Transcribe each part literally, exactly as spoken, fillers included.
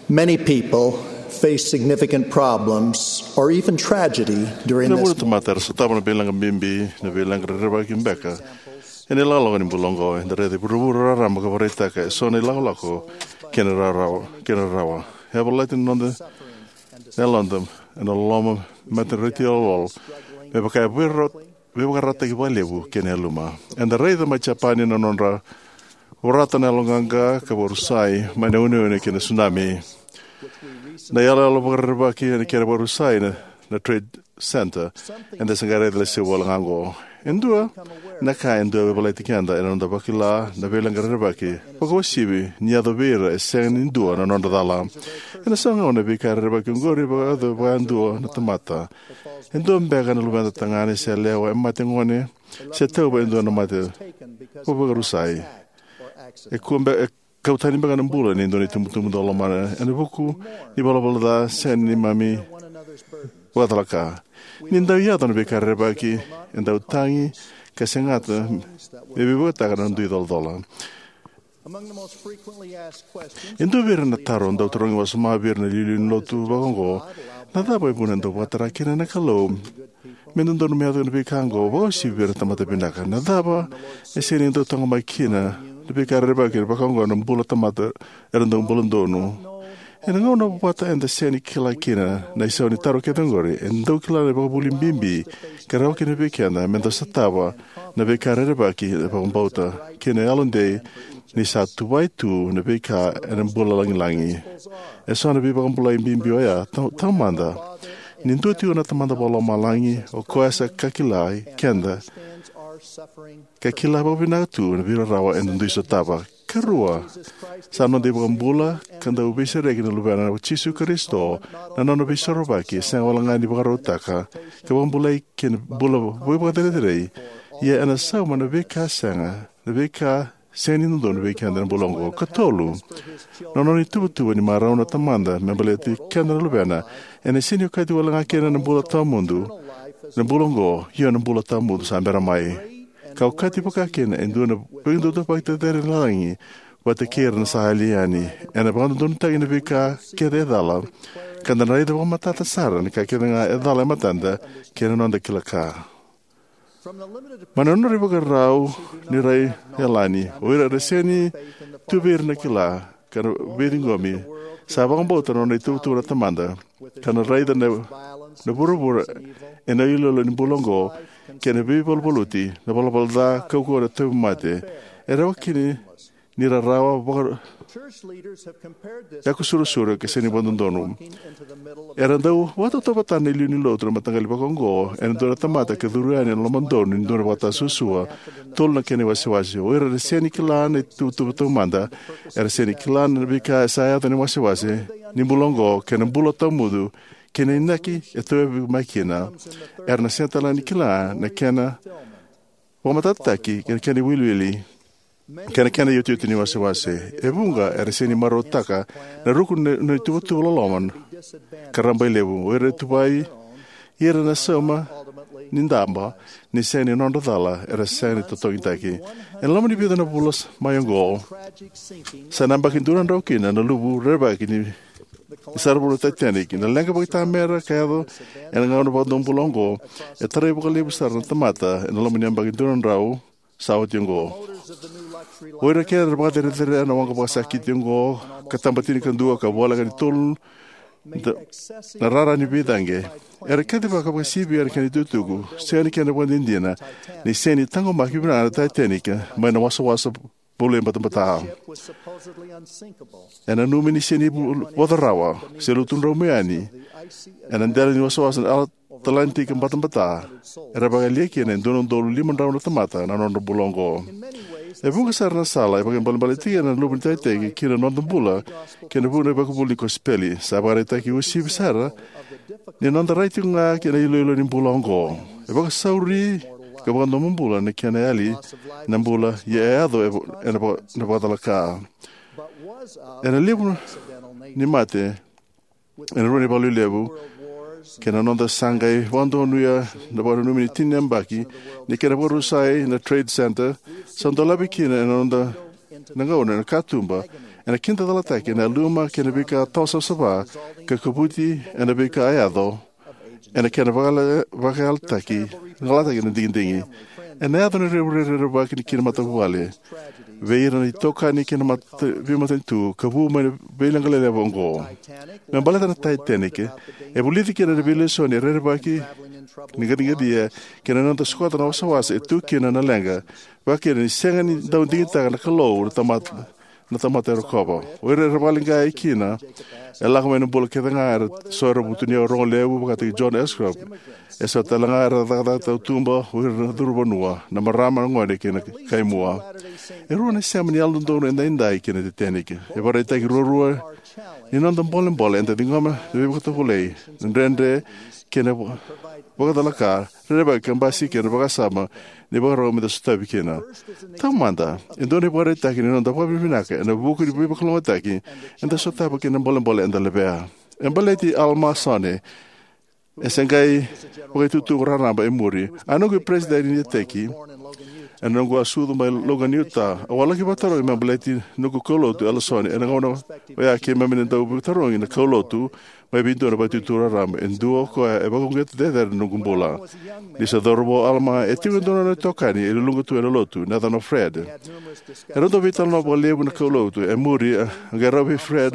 Many people face significant problems or even tragedy during Na this vuna tamata era sotava na veilaqa bibi, na veilaqa rerevaki beka ena ilakolako ni bula oqo. Eda raica e vuravura raraba ka vakaraitaka eso na ilakolako kei na rarawa, kei na rarawa. E yavalati na noda yaloda ena loloma, matanariti yalolo, me vaka e vira veivakarautaki vakalevu kei na yaluma. Eda raica mai Japani na nodra vorata na yaloqaqa ka vakarusai mai na uneune kei na tsunami. Na iyaloyalo vakarerevaki ena kena vakarusai na, na Trade Center, eda se qai raica lesu wale ga oqo. E dua na ka e dau veivalati keda ena noda vakila na veilaqa rerevaki, vakauasivi ni yaco vei ira e sega ni dua na nodra cala. Ena so na gauna na veika rerevaki oqori e vakayacori vakayadua na tamata. E dua beka na luveda tagane se yalewa e mate gone, se tauva e dua na mate vakavarusai. E kua be, e kau tani beka na bula ni dua na itubutubu dau lomana ena vuku ni valavala ca se ni neimami vakacalaka. Ni dau yaco na veika rerevaki, e dau tagi ka segata me veivukataka na dui colacola. Among the most frequently asked questions E dua vei ira na taro dau tarogi wasoma vei ira na iliuliu ni lotu vakaoqo: na cava e vuna e dau vakatara kina na Kalou me dodonu me yaco na veika oqo, vakauasivi vei ira na tamata vinaka? Na cava e sega ni dau taqomaki kina na veika rerevaki vakaoqo na bula tamata era dau bula donu? Ena gauna vata eda sega ni kila kina na isau ni taro kece oqori, e dau kila na ivakavuvuli bibi ka rawa kina vei keda me da sotava na veika rerevaki ena vakabauta kei na yalodei ni sa tuvai tu na veika ena bula lagilagi. E so na veivakabulai bibi oya, tau, taumada, ni dua tiko na Tamada Vakalomalagi, o koya sa kakilai keda ka kila vakavinaka tu na veirarawa eda dui sotava. Karua, sa noda iVakabula ka dau veisereki na Luvena, o Jisu Karisito, na nona veisorovaki e sega wale ga ni vakarautaka ka vakabulai kei na bula veivakacerecerei, ia ena sauma na veika sega, na veika sega ni dodonu vei keda ena bula oqo. Katolu, na nona ituvatuva ni marau na Tamada me baleti keda na Luvena, ena sega ni okati wale ga kina na bula tawamudu, na bula oqo, ia na bula tawamudu sa bera mai. Ka okati vaka kina e dua na veiduatuvaki cecere ni lagi vata kei ira na sa yali yani. Ena vakadodonutaki na veika kece e cala, ka da na raica vakamatata sara na ka kece ga e cala e matada kei na noda kila ka. Mai na nodra ivakarau ni rai yalani, o ira era sega ni tu vei ira na kila ka na veiciqomi, sa vakabauta na nona ituvatuva na Tamada, ka na raica na, na vuravura ena iloilo ni bula oqo kei na veivaluvaluti, na valavala ca, kaukauwa, na tauvimate. E rawa kina ni rarawa, vaka, yakusurasura ka sega ni vakadodonu. Era dau vakatautauvatataka na iliuliu ni lotu na mataqali vakaoqo ena dua na tamata ka curu yani ena lomadonu ni dua na vakatasuasua. Tolu na kena iwasewase. O ira era sega ni kila na ituvatuva taumada, era sega ni kila na veika e sa yaco ena iwasewase ni bula oqo kei na bula tawamudu, kei na inaki e tauyavu mai kina, era na sega tale ga ni kila na kena vakamatatataki kei na kena iwiliwili kei na kena iotioti ni wasewase. E vuqa era sega ni marautaka na ruku ni, ni ituvatuva loloma ka rabailevu. O ira e tuvai, ira na sauma ni daba ni sega ni nodra cala, era sega ni totogitaki. Ena loma ni vica na vula s-, mai oqo, sa na yabaki dua na drau kina na luvu rerevaki ni, ni saravu na Titanic. Na leqa vakaitamera ka yaco ena gauna vakadomobula oqo e tarai vakalevu sara na tamata ena loma ni yabaki dua na drau sa oti oqo. O ira kece era vakacerecerea na waqa vakasakiti oqo ka taba tinikadua ka voleka ni tolu na, na rara ni veicaqe, era kacivaka vakasivia na kena itukutuku, sega ni kena vakadinadina, ni sega ni taqomaki vinaka na Titanic mai na wasawasa bula e batabata. E nanumi ni sega ni vo-, vodo rawa se lutu dromu yani ena dela ni wasawasa na Atlantic batabata, era vakayalia kina e dua na udolu lima drau na tamata na nodra bula oqo. E vuqa sara na sala e vakaibalebale tiko na luvu ni Titanic ki na noda bula kei na vuku ni ivakavuvuli ni kosipeli. Sa vakaraitaki uasivi sara ni noda rai tiko ga kei na iloilo ni bula oqo. E vakasauri ka vakadomobula na kena yali na bula, ia e yaco e vo-, ena va-, na vakacalaka. Ena levu ni mate ena rua na ivalu levu kei na noda sa qai vakadonuya na vakananumi ni tini na yabaki ni kena vakarusai na Trade Center, sa dolavi kina ena noda na gauna ena katuba Ena kidacalataki ena yaluma kei na veika tawasavasava ka kavuti ena veika a yaco ena kena vakayala- vakayalataki, galataki na digidigi. Ena yaco na revurevu rerevaki ni kina matavuvale vei ira na itokani kei na mata- veimatanitu ka vu mai na veileqa lelevu oqo. Me baleta na Titanic, e vulici kina na veilesoni e rerevaki ni qaciqacia kei na noda sokota na wasawasa e tu kina na leqa, vakakina ni sega ni dau digitaka na Kalou na tamata na tamata e rokova. O ira era vakaleqai kina e lako mai na bula kece ga era so era vutuniyau rogo levu vakataki John Ashcroft. E so tale ga era cakacaka tautuba, o ira na curuvanua, na marama, na gone kei na kaimua. E rua na sema ni yalododonu edaidai kei na Titanic. E vakaraitaki ruarua ni noda bolebole eda ciqoma na veivakatovolei, na dredre kei na vakacalaka rerevaki ka basika ena vakasama ni vakarau meda sotavi kina. Taumada, e dua na ivakaraitaki ni noda vakavinavinaka ena vuku ni veivakalougatataki eda sotava kei na bolebole eda levea. E baleti Alama Sone, e se qai vakaitutu raraba e muri. A noqu peresitedi ni iteki ena noqu a sucu mai Logan, Utah, au a laki vakatarogi me baleti noqu kaulotu Elder Sone. Ena gauna oya keimami na dau vakatarogi na kaulotu mai vei dua na vakaitutu raraba, e dua o koya e vakauqeti cecere na noqu bula. Ni se cauravou o Alama, e tiko e dua na nona itokani e luluqa tu ena lotu, na yacana o Fred. Era dau veitalanoa vakalevu na kaulotu e muri, a qai rawa vei Fred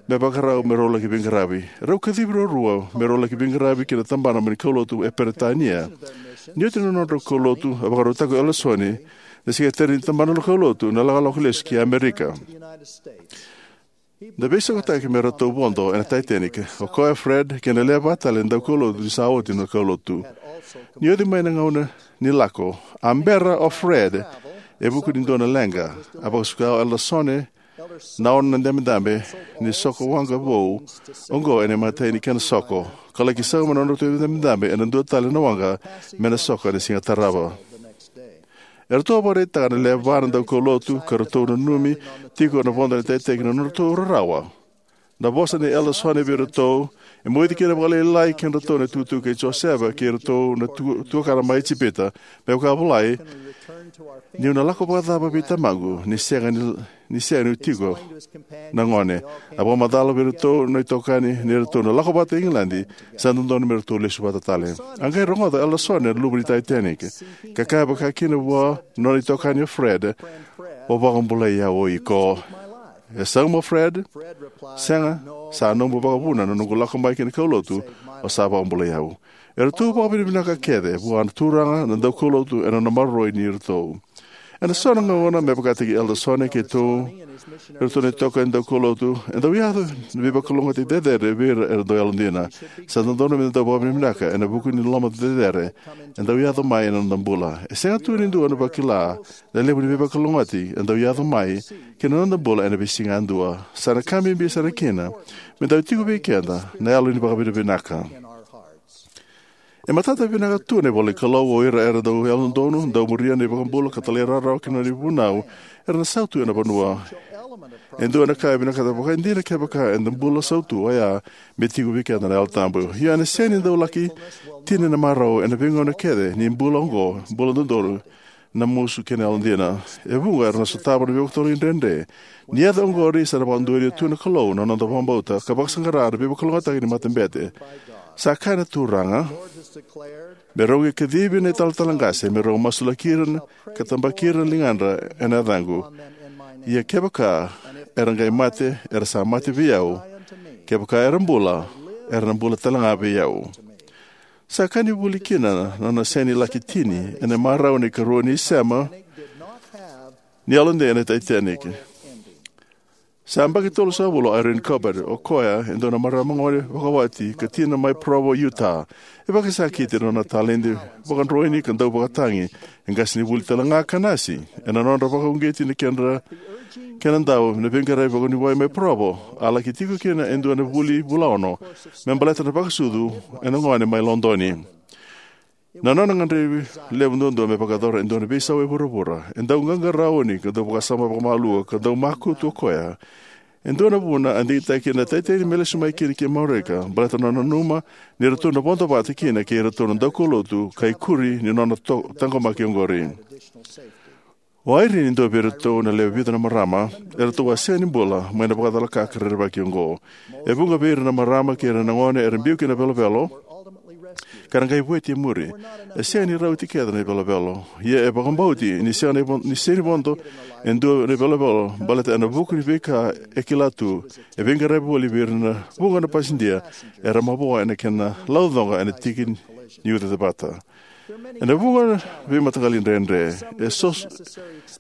me vakarau me rau laki veiqaravi. Rau kacivi ruarua me rau laki veiqaravi ki na tabana mai na kaulotu e Peritania. Ni oti na nodrau kaulotu, a vakarautaka o Elder Sone na sekeriteri ni tabana ni kaulotu na lakolako lesu ki Amerika. Na veisautaki me ratou vodo ena Titanic, o koya, Fred kei na lewe va tale na daukaulotu ni sa oti na kaulotu. Ni oti mai na gauna ni lako, a bera o Fred e vuku ni dua na leqa. A vakasuka o Elder Sone na ono na dabedabe ni soko waqa vou oqo ena imatai ni kena soko, ka laki sauma na nodratou dabedabe ena dua tale na waqa me na soko ena siga tarava. Eratou a vakaraitaka na lewe va na daukaulotu ka ratou nanumi tiko na vodo ena Titanic na nodratou rarawa. Na vosa nei Elder Sone vei iratou e moici kina vakalailai kedratou na itukutuku kei Josefa kei iratou na tu- tuakana mai Ijipita, me vaka a volai: Niu na lako vakacava vei tamaqu ni sega ni, ni sega niu tiko na gone? A vakamacala vei iratou na itokani ni ratou na lako vata i Igiladi, sa dodonu me ratou lesu vata tale. A qai rogoca o Elder Sone na luvu ni Titanic, ka kaya vakakina vua na nona itokani o Fred: O vakabulai au o iko. E sauma o Fred: Sega, sa nomu vakavuna na noqu lako mai ki na kaulotu, o sa vakabulai au. Eratou vakavinavinaka kece vua na Turaga na daukaulotu ena nona maroroi iratou. Ena so na gauna, me vakataki Elder Sone keitou, iratou na itokani daukaulotu, e dau yaco na veivakalougatataki cecere vei ira era dau yalodina. Sa dodonu meda dau vakavinavinaka ena vuku ni loloma cecere e dau yaco mai ena noda bula. E sega tu ni dua na vakila na levu ni veivakalougatataki e dau yaco mai ki na noda bula ena veisiga yadua. Sa na ka bibi sara kina me dau tiko vei keda na yalo ni vakavinavinaka. E matata vinaka tu na ivola ni Kalou: O ira era dau yalododonu, dau muria na iVakabula ka talairawarawa ki na nona ivunau, era na sautu ena vanua. E dua na ka e vinakata vakaidina kevaka eda bula sautu oya me tiko vei keda na Yalo Tabu. Ia ena sega ni dau laki tini na marau ena veigauna kece ni bula oqo, bula dodonu, na musu kei na yalodina. E vuqa era na sotava na veivakatotogani dredre. Ni yaco oqori, sa na vakadualia tu na Kalou na noda vakabauta ka vakasaqara na veivakalougatataki ni matabete. Sa kaya na Turaga: Me rau qai kacivi na italatala qase me rau masulaki ira ka tabaki ira na ligadra ena yacaqu. Ia kevaka era qai mate, era sa mate vei au; kevaka era bula, era na bula talega vei au. Sa ka ni vuli kina na nona sega ni laki tini ena marau na ikarua ni isema ni yalodei ena Titanic. Sa yabaki tolusagavulu o Irene Corbett, o koya e dua na marama gone vakawati ka tina mai Provo, Utah. E vakasakiti na nona taledi vakadroini ka dauvakatagi. E qasenivuli talega ka nasi. Ena nodra vakauqeti na kedra kena dau na veiqaravi vakavuniwai mai Provo, a laki tiko kina e dua na vuli vulaono me baleta na vakasucu ena gone mai Lodoni. Na nona gadrevi levu duadua me vakayacora e dua na veisau e vuravura. E dau qaqarauni ka dau vakasama vakamalua ka dau makutu o koya. E dua na vuna a digitaki kina na Titanic me lesu mai kina ki Amerika, baleta na nona nanuma ni ratou na vodo vata kina kei iratou na daukaulotu ka ikuri ni nona to- taqomaki oqori. O Irene, e dua vei iratou na lewe vica na marama eratou a sega ni bula mai na vakacalaka ka rerevaki oqo. E vuqa vei ira na marama kei ira na gone era biu ki na velovelo ka ra qai vueti e muri. E sega ni rauti kece na ivelovelo, ia e vakabauti ni sega ni vo-, ni sega ni vodo e dua na ivelovelo baleta ena vuku ni veika e kila tu, e veiqaravi voli vei ira na vuqa na pasidia era mavoa ena kena laucoqa ena tiki ni ucacevata. Ena vuqa na veimataqali dredre, e so-,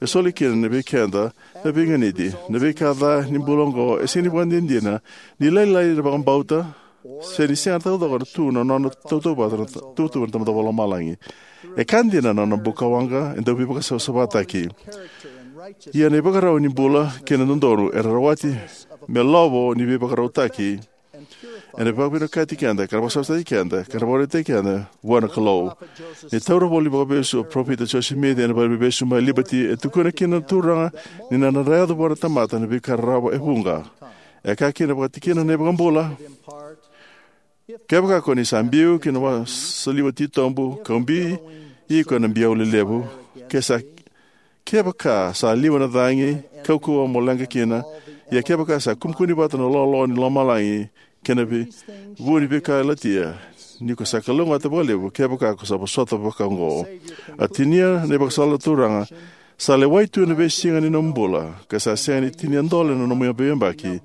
e soli kina vei keda na veiganiti. Na veika ca ni bula oqo e sega ni vakadinadina ni lailai na vakabauta, se ni sega taucoko tu na nona tautauvata na ta-, tautauvata na Tamada Vakalomalagi. E ka dina na nona bukawaqa e dau veivakasavasavataki. Ia na ivakarau ni bula kei na dodonu era rawati me lovo ni veivakarautaki ena vakavinakati keda, ka na vakasavasavataki keda, ka na vakarautaki keda vua na Kalou. Ni taura voli vakavesu o Parofita Joseph Smith ena vale ni veivesu mai Liberty, e tukuna kina na Turaga ni na nodra yaco vua na tamata na veika rarawa e vuqa. E kaya kina vakatikina na iVakabula: Kevaka ko ni sa biu ki na wasaliwa titobu, kau bi iko ena biau lelevu, ke sa, kevaka sa liwa na cagi, kaukauwa mo leqa kina, ia kevaka sa kumukumi vata na loaloa ni lomalagi kei na vei-, vu ni veika e latia, ni ko sa kalougata vakalevu kevaka ko sa vosota vakaoqo. A tinia na ivakasala na Turaga: Sa lewai tu na veisiga ni nomu bula, ka sa sega ni tini dole na nomu veiyabaki.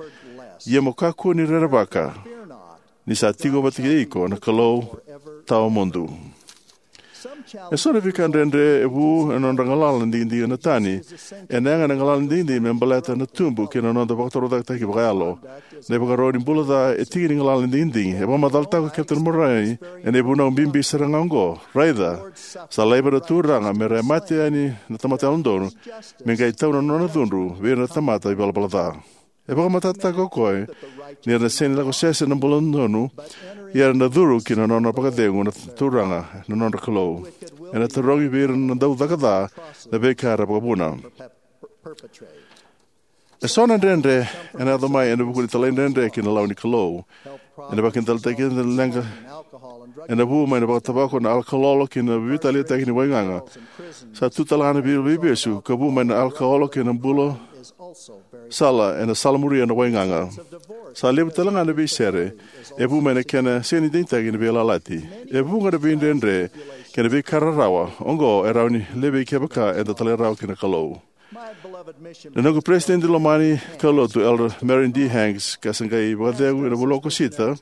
Ia mo kakua ni rerevaka, ni sa tiko vata kei iko na Kalou tawamudu. E so na veika dredre e vu ena nodra galala na digidigi na tani. Ena yaga na galala na digidigi me baleta na tubu kei na noda vakatorocaketaki vakayalo. Na ivakarau ni bula ca e tiki ni galala na digidigi. E vakamacalataka o Captain Murray ena ivunau bibi sara ga oqo: Raica, sa laiva na Turaga me ra mate yani na tamata yalododonu, me qai tau na nona cudru vei ira na tamata ivalavala ca. E vakamatatataka o koya ni era na sega ni lako sese na bula dodonu, ia era na curu ki na nona vakacegu na Turaga, na nodra Kalou. Ena tarogi vei ira na dau caka ca na veika era vakavuna. E so na dredre ena yaco mai ena vuku ni talaidredre ki na lawa ni Kalou. Ena vakidalitaki keda na leqa ena vu mai na vakatavako, na alkalolo kei na veivitaliataki ni waigaga. Sa tu talega na vei-, veivesu ka vu mai na alkalolo kei na bula sala ena salamuria na waigaga. Sa levu talega na veisere e vu mai na kena sega ni digitaki na veiyalayalati. E vuqa na veidredre kei na veika rarawa oqo e rawa ni levei kevaka eda talairawarawa ki na Kalou. Na noqu peresitedi lomani kaulotu, Elder Marion D. Hanks, ka sa qai vakacegu ena vanua o Okosita,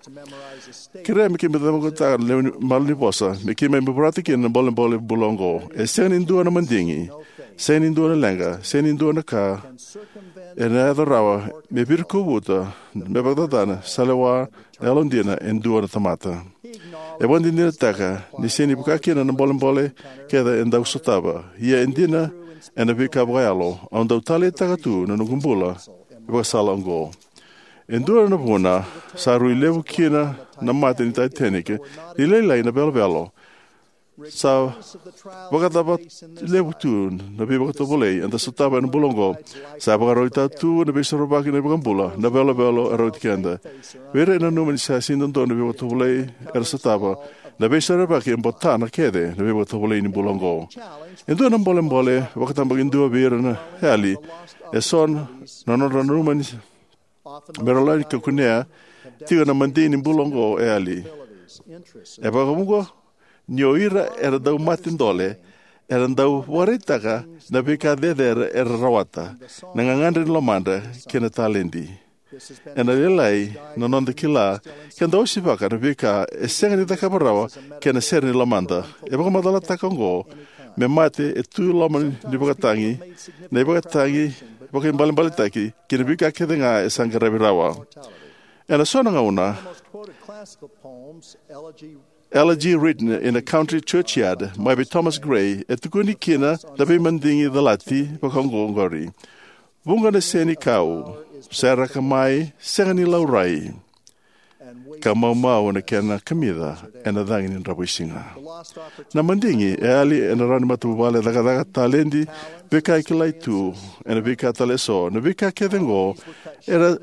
kerea me keimami cakava na lewe ni malanivosa me keimami vorata kina na bolebole bula oqo. E sega ni dua na madigi, sega ni dua na leqa, sega ni dua na ka ena yaco rawa me virikovuta, me vakacacana, sa lewa na yalodina e dua na tamata. E vakadinadinataka ni sega ni vaka kina na bolebole kece e dau sotava, ia e dina ena veika vakayalo. Au dau taleitaka tu na noqu bula ivakasala oqo. E dua na vuna sa rui levu kina na mate ni Titanic, ni lailai na velovelo. Sa vakacava levu tu na veivakatovolei eda sotava ena bula oqo. Sa vakarautaka tu na Veisorovaki ni iVakabula na velovelo e rauti keda. Vei ira e nanuma ni sa sega ni dodonu na veivakatovolei era sotava, na Veisorovaki e botana kece na veivakatovolei ni bula oqo. E dua na bolebole vakatabakidua vei ira na yali, e so na nodra nanuma ni me ra lani ka kunea tiko na madigi ni bula oqo e yali. E vakavuqa ni o ira era dau mate dole era dau vakaraitaka na veika cecere era rawata, na gagadre ni lomadra kei na taledi. Ena lailai na noda kila ke da osivaka na veika e sega ni cakava rawa kei na sere ni lomada. E vakamacalataka oqo me mate e tu loma ni vakatagi, na ivakatagi vakaibalebaletaki kei na veika kece ga e sa qaravi rawa. Ena so na gauna, Elegy Written in a Country Churchyard, mai vei Thomas Gray, e tukuni kina na veimadigi calati vakaoqori. Vuqa na senikau seraka mai, sega ni laurai, ka maumau na kena kamica ena cagi ni dravuisiga. Na madigi e yali ena rawa ni matavuvale, cakacaka, taledi, veika e kilai tu, ena veika tale eso. Na veika kece oqo era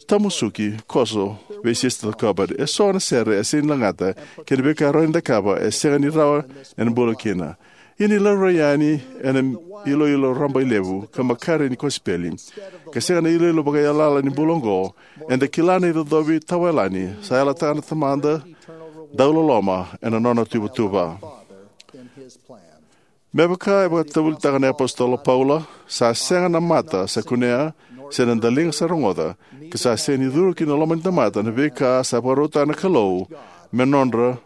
tamusuki koso vei Sister Corbett. E so na sere e sega ni lagata, kei na veika e rawa ni cakava e sega ni rawa ena bula kina. Ia ni laurai yani ena iloilo rabailevu ka makare ni kosipeli, ka sega na iloilo vakaiyalayala ni bula oqo, eda kila na icocovi tawayalani sa yalataka na Tamada dauloloma ena nona tuvatuva. Me vaka e vakatavulitaka na iApositolo Paula, sa sega na mata sa kunea, se na daliga sa rogoca, ka sa sega ni curu ki na loma ni tamata na veika sa vakarautaka na Kalou me nodra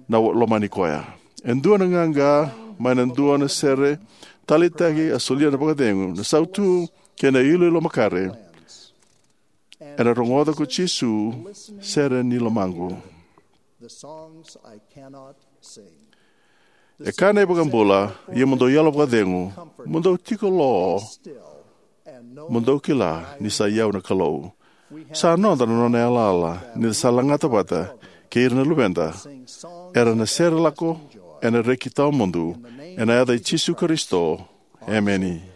na lomani koya. E dua na qaqa mai na dua na sere taleitaki a solia na vakacegu, na sautu, kei na iloilo makare. Ena rogoca ko Jisu sere ni lomaqu. E kaya na iVakabula, ia mo dou yalo vakacegu, mo dou tiko lo, mo dou kila ni sa i au na Kalou. Sa noda na nona yalayala ni da sa lagata vata kei ira na luveda era na sere lako ena reki tawamudu, ena yaca i Jisu Karisito. Emeni.